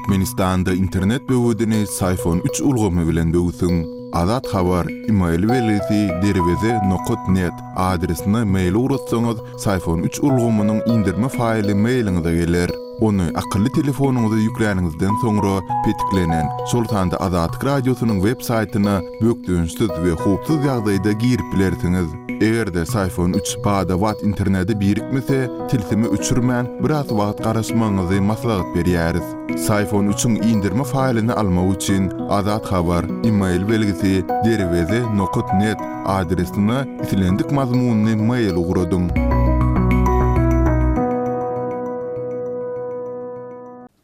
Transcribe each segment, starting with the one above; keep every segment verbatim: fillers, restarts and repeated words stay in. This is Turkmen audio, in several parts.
Türkmenistanda internet böwedini Syfon üç ulgamy bilen böwsüň. Azat Habar, email belgisi derweze nokat net adresine mail ugratsaňyz, Syfon üç ulgamynyň indirme faýly mailiňize geler. Ony akylly telefonyňyza ýükläniňizden soňra petiklenen, şol sanda Azatlyk Radiosynyň web saýtyna bökdençsiz we howpsuz ýagdaýda girip bilersiňiz. Eger-de Syfon üç bada-bat internete birikmese, tilsimi öçürmän biraz wagt garaşmagyňyzy maslahat berýäris. Syfon üçiň indirme faýlyny almak üçin Azat Habar, email belgisi derweze nokat net adresine islendik mazmunyny mail ugradyň.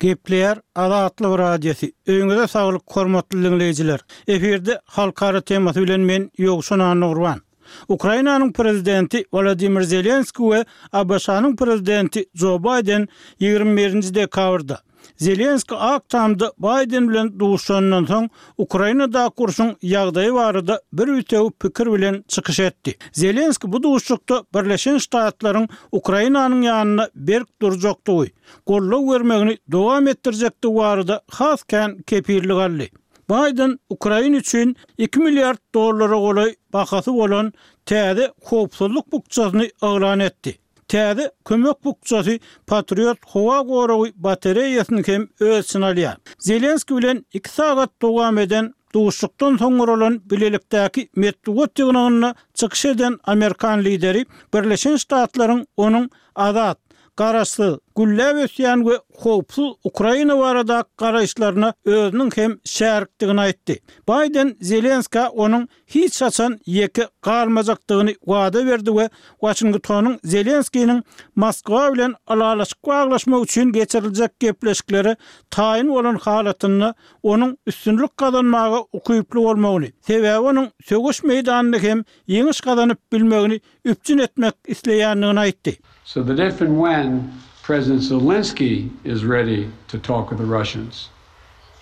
Gepleýär Azatlyk Radiosy. Öýüňize saglyk hormatly dinleýjiler. Efirde halkara temasy bilen men Ýowşan Annagurban. Ukrainanyň prezidenti Wladimir Zelenski we ABŞ-nyň prezidenti Joe Biden ýigrimi birinji dekabrda Zelenski Ak Tamda Biden bilen duşandan soň Ukrainadaky urşuň ýagdaýy barada bir bütewi pikir bilen çykyş etdi. Zelenski bu duşuşykda Birleşen Ştatlaryň Ukrainanyň ýanynda berk durjakdygy, goldaw bermegini dowam etdirjekdigi barada has kän kepillik aldy. Biden Ukraina üçin iki milliard dollara golaý bahasy bolan täze howpsuzlyk bukjasyny yglan etdi. Täze kömek bukjasy Patriot howa goragy batareýasyny hem öz içine alýar. Zelenski bilen iki sagat dowam eden duşuşykdan soň guralan bilelikdäki metbugat ýygnagynda çykyş eden Amerikan lideri Birleşen Ştatlaryň onuň azat, garaşsyz, gülläp ösýän we howpsuz Ukraina barada garaýyşlaryna özüniň hem şärikdigini aýtdy. Biden Zelenska onuň hiç haçan ýeke galmajakdygyny wada berdi we Washingtonyň Zelenskiniň Moskwa bilen ylalaşyk baglaşmak üçin geçiriljek gepleşiklere taýyn bolan halatynda onuň üstünlik gazanmaga ukyply bolmagyny, sebäbi onuň söweş meýdanynda hem ýeňiş gazanyp bilmegini üpjün etmek isleýändigini aýtdy. So that if and when President Zelensky is ready to talk with the Russians,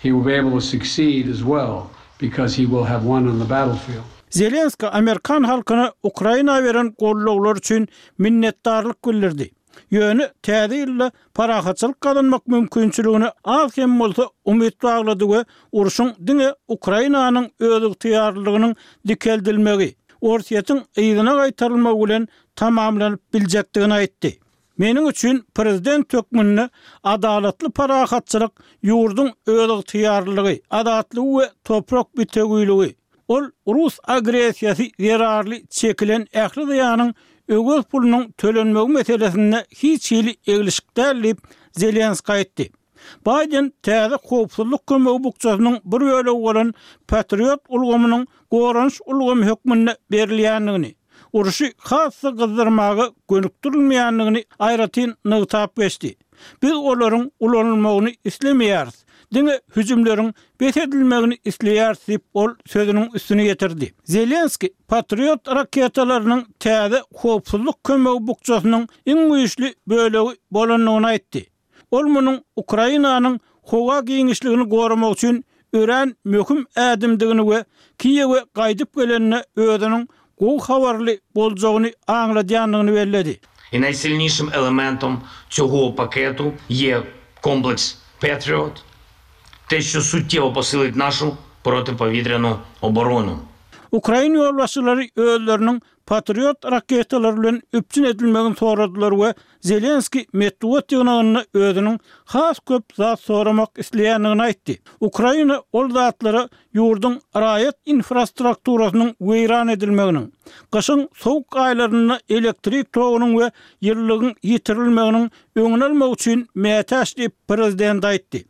he will be able to succeed as well because he will have won on the battlefield. Zelenski Amerikan halkyna Ukraina beren gollawlar üçin minnetdarlyk bildirdi. Ýöne täze ýylda parahatçylyk gazanmak mümkinçiligini az hem bolsa umyt baglady we urşuň diňe Ukrainanyň özygtyýarlylygynyň dikeldilmegi, Orsýetiň yzyna gaýtarylmagy bilen tamamlanyp biljekdigini aýtdy. Meniň üçin prezident hökmünde adalatly parahatçylyk ýurduň özygtyýarlylygy, azatlygy we toprak bitewiligi, ol rus agressiýasy zerarly çekilen ähli zyýanyň öwez pulunyň tölenmegi meselesinde hiç hili eglişik däl diýip Zelenski aýtdy. Biden täze howpsuzlyk kömegi bukjasynyň bir bölegi bolan Patriot ulgamynyň goranyş ulgamy hökmünde berilýändigini, urşy has-da gyzdyrmaga gönükdirilmeýändigini aýratyn nygtap geçdi. Biz olaryň ulanylmagyny islemeýäris, diňe hüjümleriň bes edilmegini isleýäris diýip ol sözüniň üstüne ýetirdi. Zelenski Patriot raketalarynyň täze howpsuzlyk kömegi bukjasynyň iň güýçli bölegi bolandygyny aýtdy. Ol munuň Ukrainanyň howa giňişligini goramak üçin örän möhüm ädimdigini we Kiýewe gaýdyp gelende özüniň gowy habarly boljagyny aňladýandygyny belledi. И najsilniejszym elementem цього пакету є комплекс Patriot, те, що суттєво посилить нашу протиповітряну оборону. Ukrain ýolbaşçylary özleriniň Patriot raketalary bilen üpjün edilmegini soradylar we Zelenski metbugat ýygnagynda özüniň has köp zat soramak isleýändigini aýtdy. Ukraina ol zatlara ýurduň raýat infrastrukturasynyň weýran edilmeginiň, gyşyň sowuk aýlarynda elektrik togunyň we ýylylygyň ýitirilmeginiň öňüni almak üçin mätäç diýip prezident aýtdy.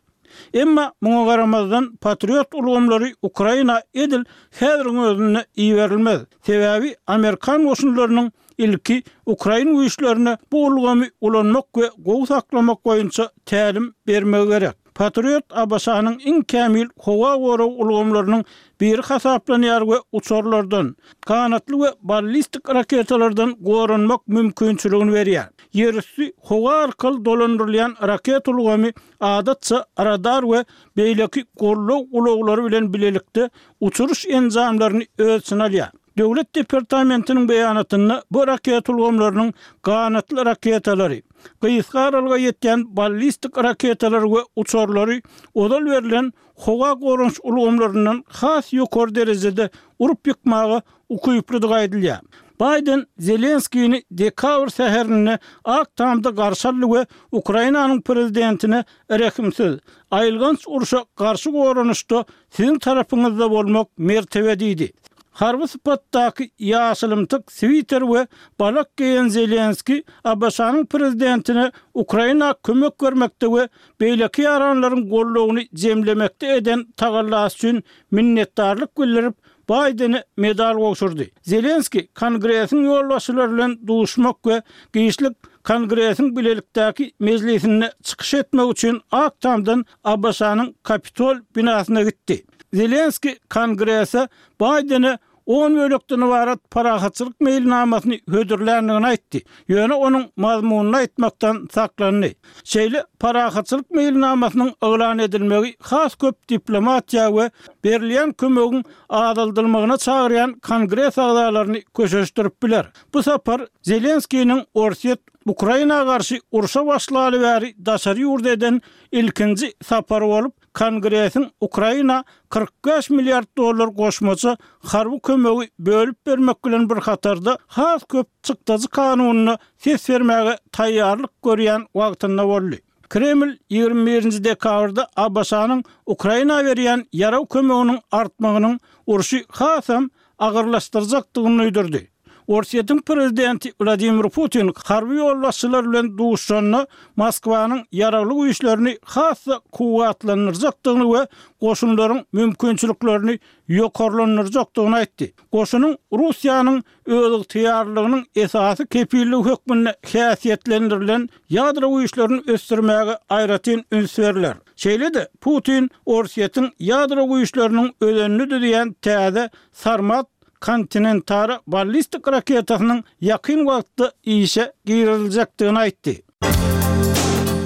Emma muňa garamazdan Patriot ulgamlary Ukraina edil häziriň özünde iberilmez. Sebäbi Amerikan goşunlarynyň ilki Ukrain güýçlerine bu ulgamy ulanmak we gowy saklamak boýunça tälim bermegi gerek. Patriot ABŞ-nyň iň kämil howa gorag ulgamlarynyň biri hasaplanýar we uçarlardan, ganatly we ballistik raketalardan goranmak mümkinçiligini berýär. Ýerüsti howa arkaly dolandyrylýan raket ulgamy adatça radar we beýleki goldaw ulaglary bilen bilelikde uçuryş enjamlaryny öz içine alýar. Döwlet departamentiniň beýanatynda bu raketa ulgamlarynyň ganatly raketalary, gysga aralyga ýetýän ballistik raketalary we uçarlary ozal berlen howa goranyş ulgamlaryndan has ýokary derejede urup ýykmaga ukyplydygy aýdylýar. Baýden Zelenskini dekabr säherinde Ak Tamda garşy aldy we Ukrainanyň prezidentine rehimsiz, aýylganç urşa garşy goranyşda siziň tarapyňyzda bolmak mertebe diýdi. Harby sypatdaky ýaşylymtyk switer we balak geýen Zelenski ABŞ-nyň prezidentine Ukraina kömek bermekde we beýleki ýaranlaryň goldawyny jemlemekde eden tagallasy üçin minnetdarlyk bildirip, Baýdene medal gowşurdy. Zelenski Kongresiň ýolbaşçylary bilen duşmak we giçlik Kongresiň bilelikdäki mejlisinde çykyş etmek üçin Ak Tamdan ABŞ-nyň Kapitol binasyna gitdi. Zelenski Kongrese Baýdene on bölekden ybarat parahatçylyk meýilnamasyny hödürländigini aýtdy. Ýöne onuň mazmunyny aýtmakdan saklandy. Şeýle parahatçylyk meýilnamasynyň yglan edilmegi has köp diplomatiýa we berilýän kömegiň azaldylmagyna çagyrýan Kongres agzalaryny köşeşdirip biler. Bu sapar Zelenskiniň Orsýet Ukraina garşy urşa başlaly bäri daşary ýurt eden ilkinji sapary bolup, Kongresiň Ukraina kyrk bäş milliard dollar goşmaça harby kömegi bölüp bermek bilen bir hatarda has köp çykdajy kanunyna ses bermäge taýýarlyk görýän wagtynda boldy. Kreml ýigrimi birinji dekabrda ABŞ-nyň Ukraina berýän ýarag kömeginiň artmagynyň urşy hasam agyrlaşdyrjakdygyny duýdurdy. Orsýetiň prezidenti Wladimir Putin harby ýolbaşçylar bilen duşuşanda Moskwanyň ýaragly güýçlerini has-da kuwwatlandyrjakdygyny we goşunlaryň mümkinçiliklerini ýokarlandyrjakdygyny aýtdy. Goşunyň Russiýanyň özygtyýarlygynyň esasy kepilligi hökmünde häsiýetlendirilen ýadro güýçlerini ösdürmäge aýratyn üns berler. Şeýle-de Putin Orsýetiň ýadro güýçleriniň özenini düzýän täze Sarmat kontinentara ballistik raketasynyň ýakyn wagtda işe giriziljekdigini aýtdy.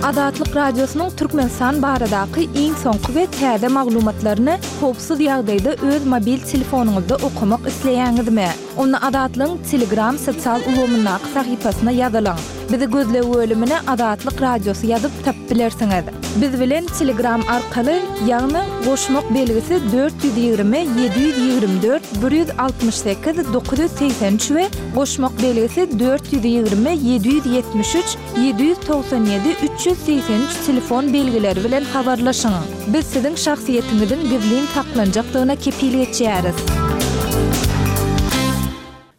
Azatlyk Radiosynyň Türkmenistan baradaky iň soňky we täze maglumatlaryny howpsuz ýagdaýda öz mobil telefonyňyzda okamak isleýäňizmi? Onda Azatlygyň Telegram sosial ulgamyndaky sahypasyna ýazylyň. Bizi gözleg bölümine Azatlyk Radiosy ýazyp tapyp bilersiňiz. Biz bilen Telegram arkaly, ýagny goşmak belgisi dört ýüz ýigrimi ýedi ýüz ýigrimi dört bir ýüz altmyş sekiz dokuz ýüz segsen üç we goşmak belgisi dört ýüz ýigrimi ýedi ýüz ýetmiş üç ýedi ýüz togsan ýedi üç ýüz segsen üç telefon belgileri bilen habarlaşyň. Biz siziň şahsyýetiňiziň gizlin saklanjakdygyna kepil geçýäris.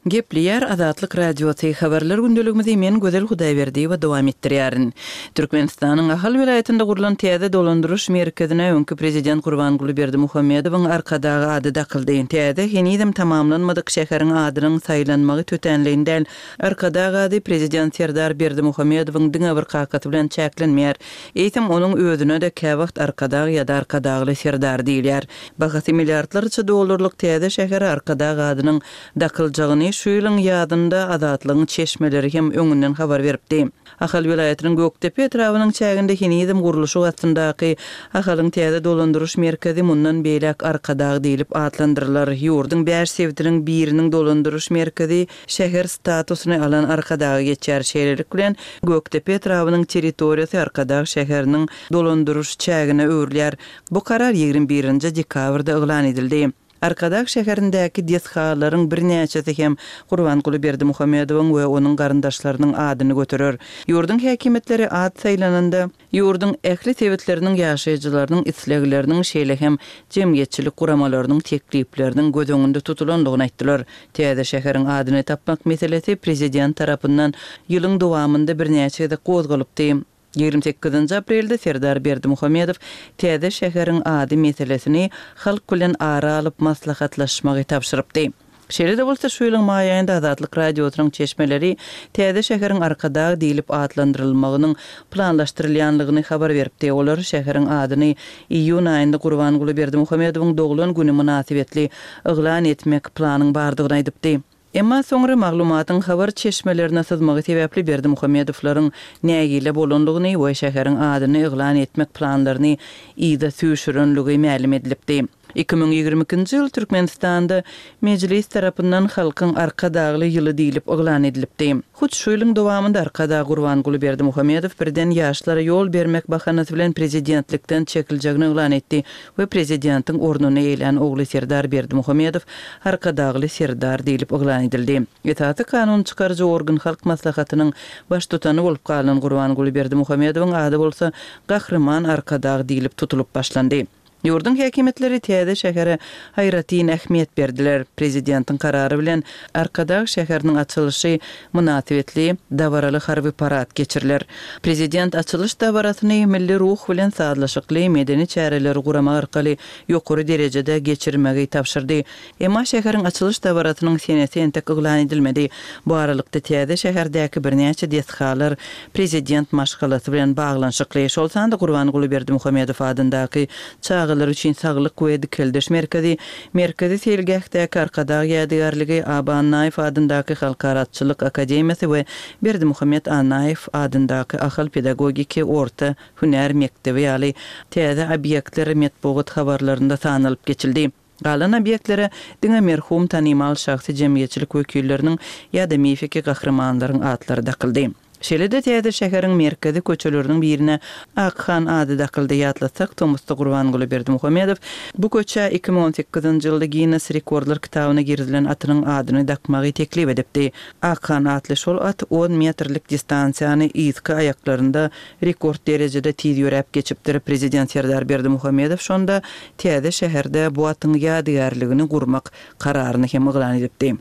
Gepleýär Azatlyk Radiosy habarlar gündeligimizi men Gözel Hudaýberdiýewa dowam etdirýärin. Türkmenistanyň Ahal welaýatynda gurlan täze dolandyryş merkezine öňki prezident Gurbanguly Berdimuhamedowyň Arkadag ady dakyldy. Täze henizem tamamlanmadyk şäheriň adynyň saýlanmagy tötänleýin däl. Arkadag ady prezident Serdar Berdimuhamedowyň diňe bir kakasy bilen çäklenmeýär. Eýsem onuň özüne-de käwagt Arkadag ýa-da Arkadagly Serdar diýilýär. Bahasy milliardlarça dollarlyk täze şähere Arkadag adynyň dakyljagyny şu ýylyň ýazynda Azatlygyň çeşmeleri hem öňünden habar beripdi. Ahal welaýatynyň Gökdepe etrabynyň çäginde henizem gurluşyk astyndaky Ahalyň täze dolandyryş merkezi mundan beýläk Arkadag diýlip atlandyrylar. Ýurduň bäş sebitiniň biriniň dolandyryş merkezi şäher statusyny alan Arkadaga geçýär. Şeýlelik bilen Gökdepe etrabynyň territoriýasy Arkadag şäheriniň dolandyryş çägine öwrülýär. Bu karar ýigrimi birinji dekabrda yglan edildi. Arkadag şäherindäki desgalaryň birnäçesi hem Gurbanguly Berdimuhamedowyň we onuň garyndaşlarynyň adyny göterer. Ýurduň häkimiýetleri at saýlananda ýurduň ähli sebitleriniň ýaşaýjylarynyň islegleriniň şeýle hem jemgyýetçilik guramalarynyň teklipleriniň göz öňünde tutulandygyny aýtdylar. Täze şäheriň adyny tapmak meselesi prezident tarapyndan ýylyň dowamynda birnäçe gezek gozgalypdy. Ýigrimi sekizinji aprelde Serdar Berdimuhamedow täze şäheriň ady meselesini halk bilen ara alyp maslahatlaşmagy tabşyrypdy. Şeýle-de bolsa şu ýylyň maý aýynda Azatlyk Radiosynyň çeşmeleri täze şäheriň Arkadag diýlip atlandyrylmagynyň planlaşdyrylýanlygyny habar beripdi. Olar şäheriň adyny iýun aýynda Gurbanguly Berdimuhamedowyň doglan güni mynasybetli yglan etmek planyň bardygyny aýdypdy. Emma soňra maglumatyň habar çeşmelerine syzmagy sebäpli Berdimuhamedowlaryň nägile bolanlygyny we şäheriň adyny yglan etmek planlaryny yza süýşürenligi mälim edilipdi. Iki müň ýigrimi ikinji ýyl Türkmenistanda Mejlis tarapyndan Halkyň Arkadagly ýyly diýlip yglan edilipdi. Hut şu ýylyň dowamynda Arkadag Gurbanguly Berdimuhamedow birden ýaşlara ýol bermek bahanasy bilen prezidentlikden çekiljegini yglan etdi we prezidentiň ornuny eýelän ogly Serdar Berdimuhamedow Arkadagly Serdar diýlip yglan edildi. Esasy kanun çykaryjy organ Halk Maslahatynyň Baştutany bolup galan Gurbanguly Berdimuhamedowyň ady bolsa Gahryman Arkadag diýlip tutulyp başlandy. Ýurduň häkimiýetleri täze şähere aýratyn ähmiýet berdiler. Prezidentiň karary bilen Arkadag şäheriniň açylyşy mynasybetli dabaraly harby parad geçiriler. Prezident açylyş dabarasyny milli ruh bilen sazlaşykly medeni çäreleri guramak arkaly ýokary derejede geçirmegi tabşyrdy. Emma şäheriň açylyş dabarasynyň senesi entek yglan edilmedi. Bu aralykda täze şäherdäki birnäçe desgalar prezident maşgalasy bilen baglanyşykly, şol sanda Gurbanguly Berdimuhamedow adyndaky çagalar üçin saglyk we dikeldiş merkezi, Merkezi seýilgähdäki Arkadag ýadygärligi, Aba Annaýew adyndaky Halkara atçylyk akademiýasy we Berdimuhamet Annaýew adyndaky Ahal pedagogiki orta hünär mekdebi ýaly täze obýektler metbugat habarlarynda sanalyp geçildi. Galan obýektlere diňe merhum tanymal şahsy jemgyýetçilik wekilleriniň ýa-da mifiki gahrymanlaryň atlary dakyldy. Şeýle-de täze şäheriň merkezi köçeleriniň birine Akhan ady dakyldy. Ýatlatsak, tomusda Gurbanguly Berdimuhamedow bu köçä iki müň on sekizinji ýylda Ginnes rekordlar kitabyna girizilen atynyň adyny dakmagy teklip edipdi. Akhan atly şol at on metrlik distansiýany yzky aýaklarynda rekord derejede tiz ýöräp geçipdir. Prezident Serdar Berdimuhamedow şonda täze şäherde bu atyň ýadygärligini gurmak kararyny hem yglan edipdi.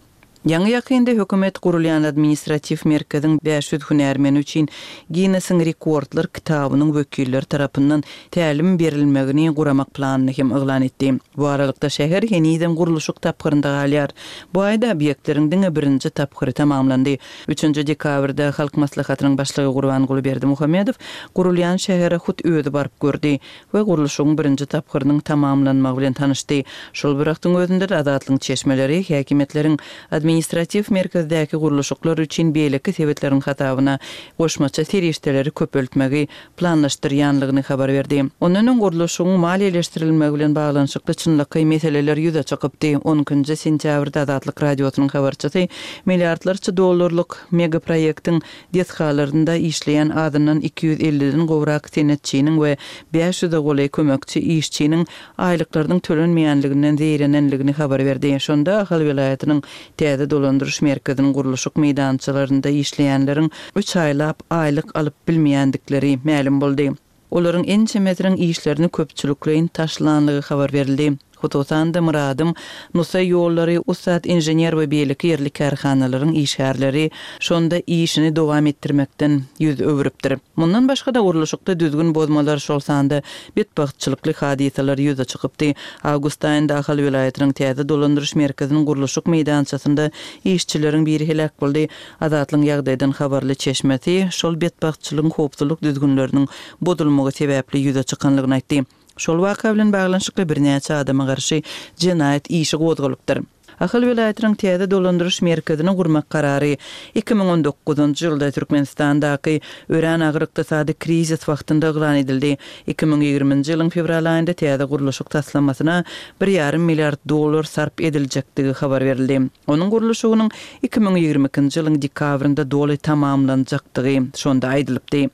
Ýaňy-ýakynda hökümet gurulýan administratiw merkeziň bäş ýüz hünärmeni üçin Ginnesiň rekordlar kitabynyň wekilleri tarapyndan tälim berilmegini guramak planyny hem yglan etdi. Bu aralykda şäher henizem gurluşyk tapgyrynda galýar. Bu aýda obýektleriň diňe birinji tapgyry tamamlandy. Üçünji dekabrda Halk Maslahatynyň Başlygy Gurbanguly Berdimuhamedow gurulýan şähere hut özi baryp gördi we gurluşygyň birinji tapgyrynyň tamamlanmagy bilen tanyşdy. Şol bir wagtyň özünde-de Azatlygyň çeşmeleri häkimiýetleriň administratiw merkezdäki gurluşyklar üçin beýleki sebitleriň hasabyna goşmaça serişdeleri köpeltmegi planlaşdyrýanlygyny habar berdi. Ondan öň gurluşygyň maliýeleşdirilmegi bilen baglanyşykly çynlakaý meseleler ýüze çykypdy. On ikinji sentýabrda Azatlyk Radiosynyň habarçysy milliardlarça dollarlyk megaproýektiň desgalarynda işleýän azyndan iki ýüz elliden gowrak senetçiniň we bäş ýüze golaý kömekçi işçiniň aýlyklarynyň tölenmeýänliginden zeýrenenligini habar berdi. Şonda Ahal welaýatynyň täze dolandyryş merkeziniň gurluşyk meýdançalarynda işleýänleriň üç aýlap aýlyk alyp bilmeýändikleri mälim boldy. Olaryň ençemesiniň işlerini köpçülikleýin taşlanlygy habar berildi. Hususan-da, Myradym, Nusaý ýollary, Ussat inžener we beýleki ýerli kärhanalaryň işgärleri şonda işini dowam etdirmekden ýüz öwrüpdir. Mundan başga-da, gurluşykda düzgün bozmalar, şol sanda betbagtçylykly hadysalar ýüze çykypdy. Awgust aýynda Ahal welaýatynyň täze dolandyryş merkeziniň gurluşyk meýdançasynda işçileriň biri heläk boldy. Azatlygyň ýagdaýdan habarly çeşmesi şol betbagtçylygyň howpsuzlyk düzgünleriniň bozulmagy sebäpli ýüze çykanlygyny aýtdy. Şol waka bilen baglanyşykly birnäçe adama garşy jenaýat işi gozgalypdyr. Ahal welaýatynyň täze dolandyryş merkezini gurmak karary iki müň on dokuzynjy ýylda Türkmenistandaky örän agyr ykdysady krizis wagtynda yglan edildi. Iki müň ýigriminji ýylyň fewral aýynda täze gurluşyk taslamasyna bir ýarym milliard dollar sarp ediljekdigi habar berildi. Onuň gurluşygynyň iki müň ýigrimi ikinji ýylyň dekabrynda doly tamamlanjakdygy şonda aýdylypdy.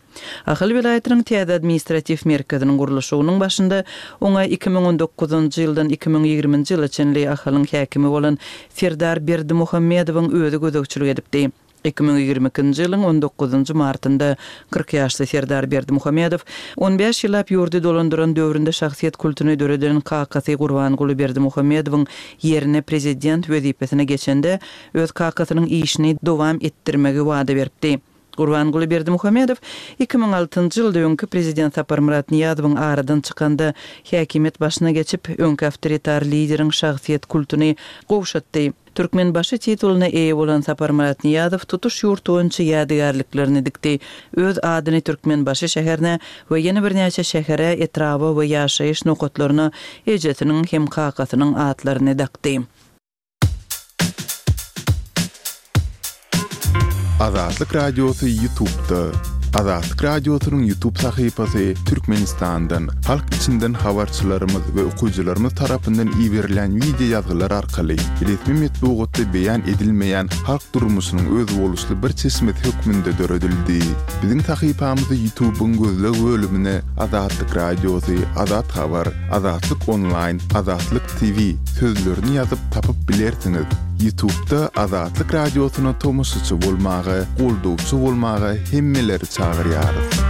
Ahal welaýatynyň täze administratiw merkeziniň gurluşygynyň başynda oňa iki müň on dokuzynjy ýyldan iki müň ýigriminji ýyla çenli Ahalyň häkimi bolan Serdar Berdimuhamedowyň özi gözegçilik edipdi. Iki müň ýigrimi ikinji ýylyň on dokuzynjy martynda kyrk ýaşly Serdar Berdimuhamedow on bäş ýyllap ýurdy dolandyran döwründe şahsyýet kultuny döreden kakasy Gurbanguly Berdimuhamedowyň ýerine prezident wezipesine geçende öz kakasynyň işini dowam etdirmegi wada beripdi. Gurbanguly Berdimuhamedow iki müň altynjy ýylda öňki prezident Saparmyrat Nyýazowyň aradan çykanda häkimiýet başyna geçip, öňki awtoritar lideriň şahsyýet kultuny gowşatdy. Türkmenbaşy titulyna eýe bolan Saparmyrat Nyýazow tutuş ýurt boýunça ýadygärliklerini dikdi. Öz adyny Türkmenbaşy şäherine we ýene birnäçe şähere, etraba we ýaşaýyş nokatlaryna ejesiniň hem kakasynyň atlaryny dakdy. Azatlyk Radiosy YouTube'da. Azatlyk Radiosynyň YouTube sahypasy Türkmenistandan, halk içinden habarçylarymyz we okyjylarymyz tarapyndan iberilen wideo ýazgylar arkaly resmi metbugatda beýan edilmeýän halk durmuşynyň özboluşly bir çeşmesi hökmünde döredildi. Biziň sahypamyzy YouTube-yň gözleg bölümine Azatlyk Radiosy, Azat Habar, Azatlyk Onlaýn, Azatlyk T V sözlerini ýazyp tapyp bilersiňiz. YouTube-da Azatlyk Radiosyna tomaşaçy bolmaga, goldawçy bolmaga hemmeleri çagyrýarys.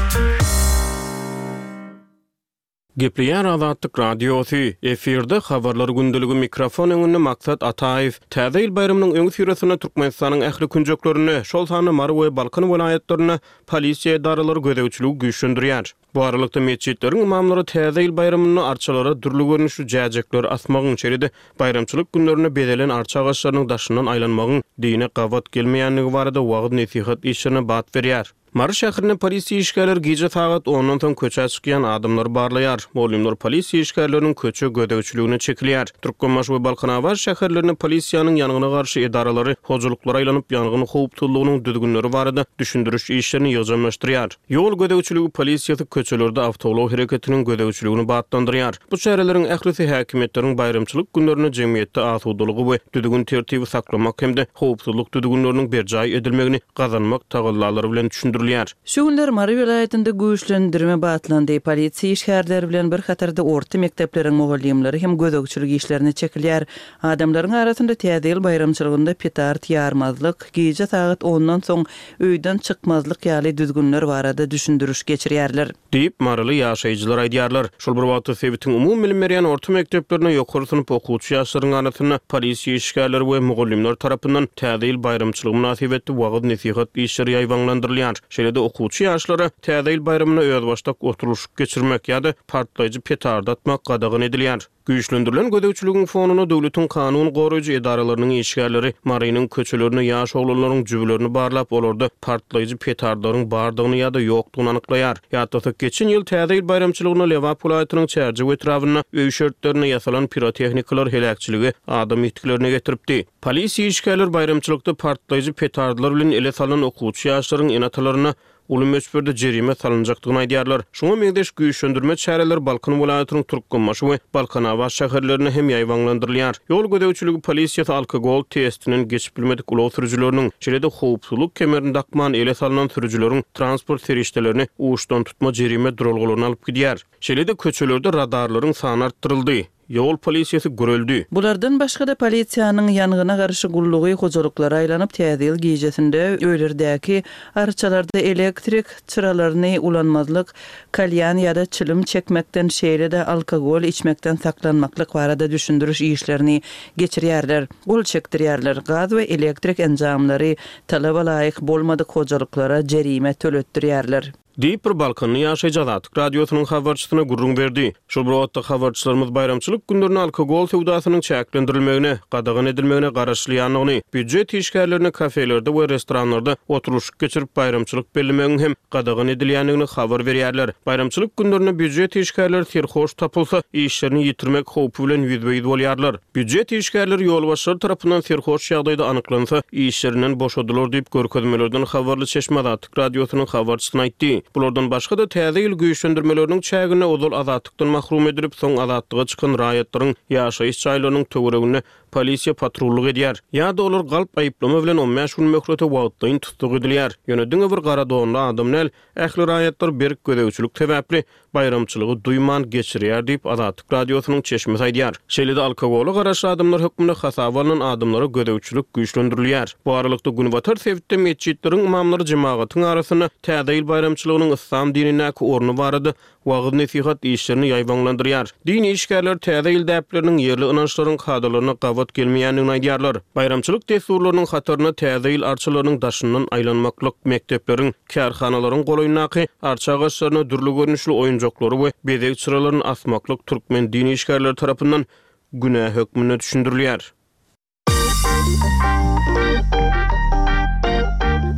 Gepleýär Azatlyk Radiosy, efirde habarlar gündeligi mikrofon öňünde Maksat Ataýew. Täze ýyl baýramynyň öňüsyrasynda Türkmenistanyň ähli künjeklerinde, şol sanda Mary we Balkan welaýatlarynda polisiýa edaralary gözegçiligi güýçlendirýär. Bu aralykda metjitleriň imamlary täze ýyl baýramynda arçalara dürli görnüşli jäjekler asmagyň, şeýle-de baýramçylyk günlerinde bezelen arça agaçlarynyň daşyndan aýlanmagyň dine gabat gelmeýändigi barada wagyz-nesihat işlerine bat berýär. Mary şäherinde polisiýa işgärleri gije sagat ondan soň köçä çykýan adamlary barlaýar. Mugallymlar polisiýa işgärleriniň köçe gözegçiligine çekilýär. Türkmenbaşy we Balkanabat şäherlerinde polisiýanyň ýangyna garşy edaralary hojalyklara aýlanyp ýangyn howpsuzlygynyň düzgünleri barada düşündiriş işlerini ýygjamlaşdyrýar. Ýol gözegçiligi polisiýasy köçelerde awtoulag hereketiniň gözegçiligini batlandyrýar. Bu çäreleriň ählisi häkimiýetleriň baýramçylyk günlerinde jemgyýetde asudalygy we düzgün tertibi saklamak hem-de howpsuzlyk düzgünleriniň berjaý edilmegini gazanmak tagallalary bilen düşündirilýär. Şu günler Mary welaýatynda güýçlendirme batlandy. Polisiýa işgärleri bilen bir hatarda orta mekdepleriň mugallymlary hem gözegçilik işlerine çekilýär. Adamlaryň arasynda täze ýyl baýramçylygynda petard ýarmazlyk, gije sagat ondan soň öýden çykmazlyk ýaly düzgünler barada düşündiriş geçirýärler. Diýip Maryly ýaşaýjylar aýdýarlar. Şol bir wagtda sebitiň umumy bilim berýän orta mekdeplerine ýokary synp okuwçy ýaşlaryň arasynda polisiýa işgärleri we mugallymlar tarapyndan täze ýyl baýramçylygy mynasybetli wagyz-nesihat işleri ýaýbaňlandyrylýar. Şeýle-de okuwçy ýaşlara täze ýyl baýramyna özbaşdak oturylyşyk geçirmek ýa-da partlaýjy petard atmak gadagan edilýär. Güýçlendirilen gözegçiligiň fonuna döwletiň kanun goraýjy edaralarynyň işgärleri Marynyň köçelerine ýaş oglanlaryň jübülerini barlap, olarda partlaýjy petardlaryň bardygyny ýa-da ýokdugyny anyklaýar. Ýatlasak, geçen ýyl täze ýyl baýramçylygyna Lebap welaýatynyň Çärjew etrabynda öý şertlerinde ýasalan pirotehnikalar heläkçiligi adam ýitgilerine getiripdi. Polisiýa işgärleri baýramçylykda partlaýjy petardlar bilen ele salan okuwçy ýaşlaryň ene-atalaryna uly möçberde jerime salynjakdygyny aýdýarlar. Şoňa meňzeş güýçlendirme çäreleri Balkan welaýatynyň Türkmenbaşy we Balkanabat şäherlerinde hem ýaýbaňlandyrylýar. Ýol gözegçiligi polisiýasy alkogol testinden geçip bilmedik ulag sürüjileriniň, şeýle-de howpsuzlyk kemerini dakman ele salynan sürüjileriň transport serişdelerini uçdan tutma jerime duralgalaryna alyp gidýär. Şeýle-de köçelerde radarlaryň sany artdyryldy. Ýol polisiýasy görüldi. Bulardan başga-da polisiýanyň ýangyna garşy gullugy hojalyklara aýlanyp täze ýyl gijesinde öýlerdäki arçalarda elektrik çyralaryny ulanmazlyk, kalýan ýa-da çilim çekmekden, şeýle-de alkogol içmekden saklanmaklyk barada düşündiriş işlerini geçirýärler. Gol çekdirýärler. Gaz we elektrik enjamlary talaba laýyk bolmadyk hojalyklara jerime töletdirýärler. Diýip bir Balkanly ýaşaýjy Azatlyk Radiosynyň habarçysyna gürrüň berdi. Şol bir wagtda habarçylarymyz baýramçylyk günlerinde alkogol söwdasynyň çäklendirilmegine, gadagan edilmegine garaşylýandygyny, býujet işgärlerine kafelerde we restoranlarda oturylyşyk geçirip baýramçylyk bellemegiň hem gadagan edilýändigini habar berýärler. Baýramçylyk günlerinde býujet işgärleri serhoş tapylsa, işlerini ýitirmek howpy bilen ýüzbe-ýüz bolýarlar. Býujet işgärleri ýolbaşçylar tarapyndan serhoş ýagdaýda anyklansa, işlerinden boşadylar diýip görkezmelerden habarly çeşme Azatlyk Radiosynyň habarçysyna aýtdy. Bulardan başga da täze ýyl güýçlendirmeleriniň çäginde ozal azatlykdan mahrum edilip, soň azatlyga çykan raýatlaryň ýaşaýyş jaýlarynyň töwereginde polisiýa patrullyk edýär. Ýa-da olar galp aýyplama bilen on bäş gün möhlete wagtlaýyn tussag edilýär. Ýöne diňe bir gara donly adam däl, ähli raýatlar berk gözegçilik sebäpli baýramçylygy duýman geçirýär diýip Azatlyk Radiosynyň çeşmesi aýdýar. Şeýle-de alkogola garaşly adamlar hökmünde hasaba alynan adamlara gözegçilik güýçlendirilýär. Bu aralykda Günbatar sebitde metjitleriň imamlary jemagatyň arasynda täze ýyl baýramçylygynyň yslam dinindäki orny barada wagyz-nesihat işlerini ýaýbaňlandyrýar. Din işgärler täze ýyl däpleriniň ýerli ynançlaryň kadalaryna gabat gelmeýändigini aýdýarlar. Baýramçylyk dessurlarynyň hataryna täze ýyl arçalarynyň daşyndan aýlanmaklyk, mekdepleriň, kärhanalaryň golaýyndaky arça agaçlaryna dürli görnüşli oýunjaklary we bezeg çyralaryny asmaklyk türkmen din işgärleri tarapyndan günä hökmünde düşündirilýär.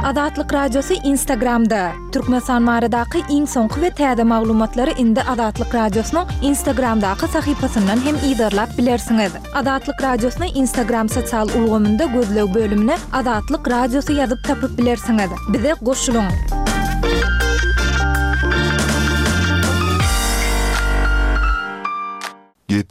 Azatlyk Radiosy Instagramda. Türkmenistan baradaky iň soňky we täze maglumatlary indi Azatlyk Radiosynyň Instagramdaky sahypasyndan hem yzarlap bilersiňiz. Azatlyk Radiosyny Instagram sosial ulgamynda gözleg bölümine Azatlyk Radiosy ýazyp tapyp bilersiňiz. Bize goşulyň.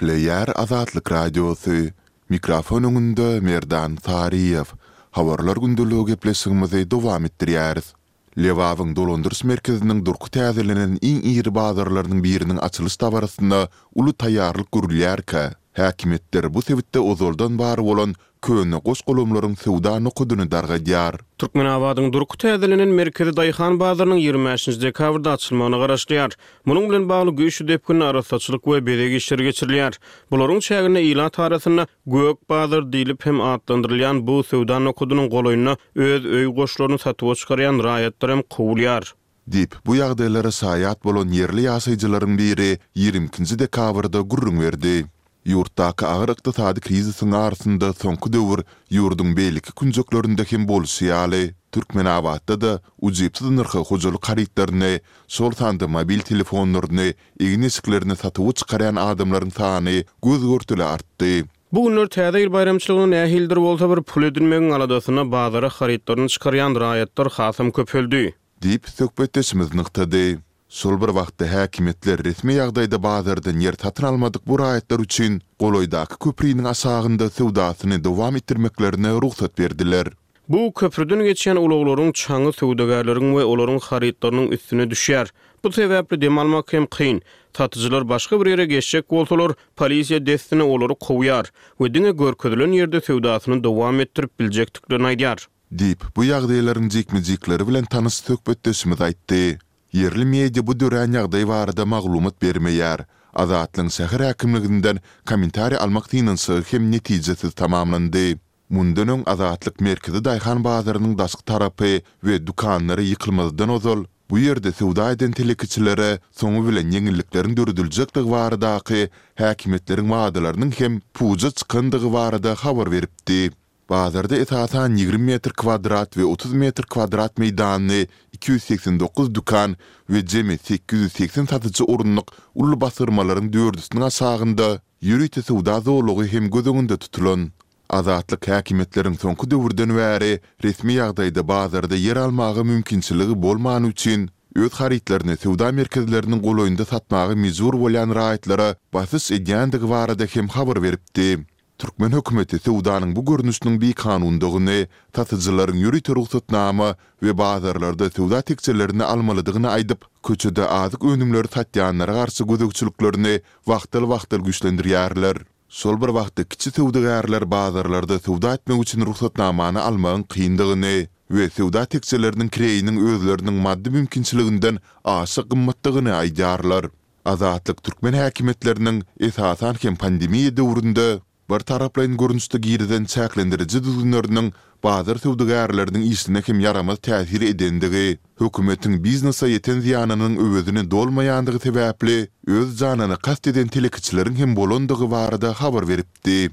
Gepleýär Azatlyk Radiosy, Mikrofon öňünde Merdan Saryýew. Habarlar gündeligi gepleşigimizi dowam etdirýäris. Lebabyň dolandyryş merkeziniň durky täzelenen iň iri bazarlarynyň biriniň açylyş dabarasyna uly taýýarlyk görülýärkä, häkimiýetler bu sebitde ozaldan bar bolan köne goş-golamlaryň söwda nokadyny dargadýar. Türkmenabadyň durky täzelenen merkezi daýhan bazarynyň ýigrimi bäşinji dekabrda açylmagyna garaşylýar. Munuň bilen bagly güýçli depginde arassaçylyk we bezeg işleri geçirilýär. Bularyň çäginde ilat arasynda Gök bazar diýlip hem atlandyrylýan bu söwda nokadynyň golaýynda öz öý goşlaryny satuwa çykarýan raýatlar hem kowulýar. Diýip, bu ýagdaýlara şaýat bolan ýerli ýaşaýjylaryň biri ýigrimi ikinji dekabrda gürrüň berdi. Ýurtdaky agyr ykdysady krizisiň arasynda soňky döwür ýurduň beýleki künjeklerinde hem bolşy ýaly, Türkmenabatda-da ujypsyz nyrha hojalyk harytlaryny, şol sanda mobil telefonlaryny, egin-eşiklerini satuwa çykarýan adamlaryň sany göz-görtele artdy. Bu günler Täze ýyl baýramçylygyna nähilidir bolsa bir pul edinmegiň aladasynda bazara harytlaryny çykarýan raýatlar hasam köpeldi. Diýip, söhbetdeşimiz nygtady. Şol bir wagtda, häkimiýetler resmi ýagdaýda bazardan ýer satyn almadyk bu raýatlar üçin golaýdaky köpriniň aşagynda söwdasyny dowam etdirmeklerine rugsat berdiler. Bu köprüden geçýän ulaglaryň çaňy söwdagärleriň we olaryň harytlarynyň üstüne düşýär. Bu sebäpli dem almak hem kyn. Satyjylar başga bir ýere geçjek bolsalar, polisiýa dessine olary kowýar we diňe görkezilen ýerde söwdasyny dowam etdirip biljekdiklerini aýdýar. Diýip, bu ýagdaýlaryň jikme-jikleri bilen tanyş söhbetdeşimiz aýtdy. Ýerli media bu dörän ýagdaý barada maglumat bermeýär. Azatlygyň şäher häkimliginden kommentariý almak synanyşygy hem netijesiz tamamlandy. Mundan öň Azatlyk merkezi daýhan bazarynyň daşky tarapy we dükanlary ýykylmazdan ozal, bu ýerde söwda eden telekeçilere soňy bilen ýeňillikleriň dörediljekdigi baradaky häkimiýetleriň wadalarynyň hem puja çykandygy barada habar beripdi. Bazarda esasan ýigrimi metr kwadrat we otuz metr kwadrat meýdanly iki ýüz segsen dokuz dükan we jemi sekiz ýüz segsen satyjy orunlyk uly basyrmalaryň dördüsiniň aşagynda ýörite söwda zolagy hem göz öňünde tutulan. Azatlyk häkimiýetleriň soňky döwürden bäri resmi ýagdaýda bazarda ýer almaga mümkinçiligi bolmany üçin öz harytlaryny söwda merkezleriniň golaýynda satmaga mejbur bolýan raýatlara basyş edýändigi barada hem habar beripdi. Türkmen hökümeti söwdanyň bu görnüşiniň bikanundygyny, satyjylaryň ýörite rugsatnama we bazarlarda söwda tekjelerini almalydygyny aýdyp, köçede azyk önümleri satýanlara garşy gözegçiliklerini wagtal-wagtal güýçlendirýärler. Şol bir wagtda kiçi söwdagärler bazarlarda söwda etmek üçin rugsatnamany almagyň kyndygyny we söwda tekjeleriniň kireýiniň özleriniň maddy mümkinçiliginden aşa gymmatdygyny aýdýarlar. Azatlyk türkmen häkimiýetleriniň, esasan hem pandemiýa döwründe, birtaraplaýyn görnüşde girizen çäklendiriji düzgünleriniň bazar söwdagärleriniň işine hem ýaramaz täsir edendigi, hökümetiň biznese ýeten zyýanynyň öwezini dolmaýandygy sebäpli öz janyna kast eden telekeçileriň hem bolandygy barada habar beripdi.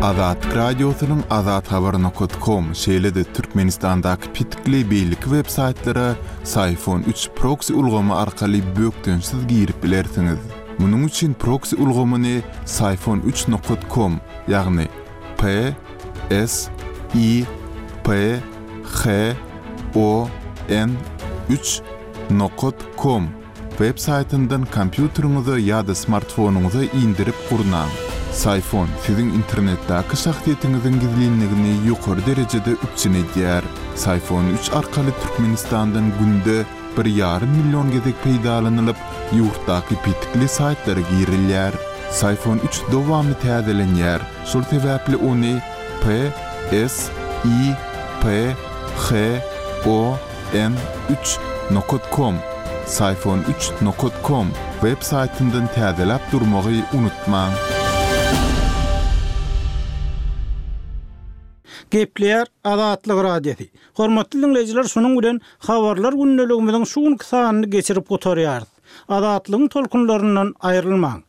Azatlyk Radiosynyň azathabar nokat kom, şeýle-de Türkmenistandaky petikli beýleki web saýtlara Syfon üç proksi ulgamy arkaly bökdençsiz girip bilersiňiz. Munuň üçin proksi ulgamyny Syfon üç nokat kom, ýagny P S I P H O N üç nokat kom Web saýtyndan kompýuteriňize ýa-da smartfonyňyza indirip gurnaň. Syfon siziň internetdäki şahsyýetiňiziň gizlinligini ýokary derejede üpjün edýär. Syfon üç arkaly Türkmenistandan günde bir ýarym million gezek peýdalanylyp, ýurtdaky petikli saýtlara girilýär. Syfon üç dowamly täzelenýär, şol sebäpli ony P S I P H O N üç nokat kom, Syfon üç nokat kom, web saýtyndan täzeläp durmagy unutmaň. Gepleýär Azatlyk Radiosy. Hormatly diňleýjiler, şunuň bilen Habarlar gündeligimiziň şu günki sanyny geçirip gutarýarys. Azatlygyň tolkunlaryndan aýrylmaň.